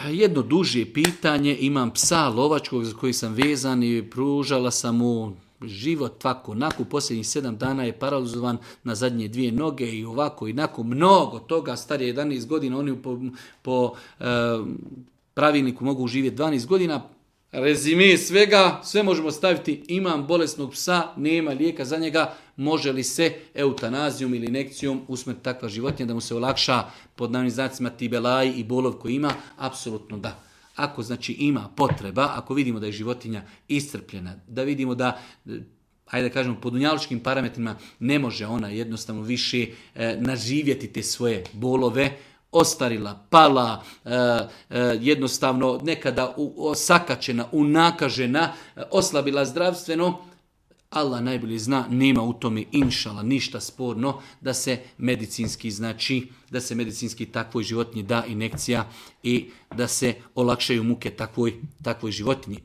Jedno duže pitanje, imam psa lovačkog za koji sam vezan i pružala sam mu život ovako, nakon posljednjih 7 dana je paralizovan na zadnje 2 noge i ovako i nakon mnogo toga, star je 11 godina, oni po pravilniku mogu živjeti 12 godina. Rezime svega, sve možemo staviti, imam bolesnog psa, nema lijeka za njega, može li se eutanazijom ili injekcijom usmrtiti takva životinja da mu se olakša pod navodnim znacima ti belaj i bolov koji ima? Apsolutno da. Ako znači ima potreba, ako vidimo da je životinja iscrpljena, da vidimo da, ajde da kažemo, po dunjalučkim parametrima ne može ona jednostavno više naživjeti te svoje bolove, ostarila, pala, jednostavno nekada osakačena, unakažena, oslabila zdravstveno, Allah najbolje zna, nema u tome inšala ništa sporno da se medicinski takvoj životinji da injekcija i da se olakšaju muke takvoj životinji.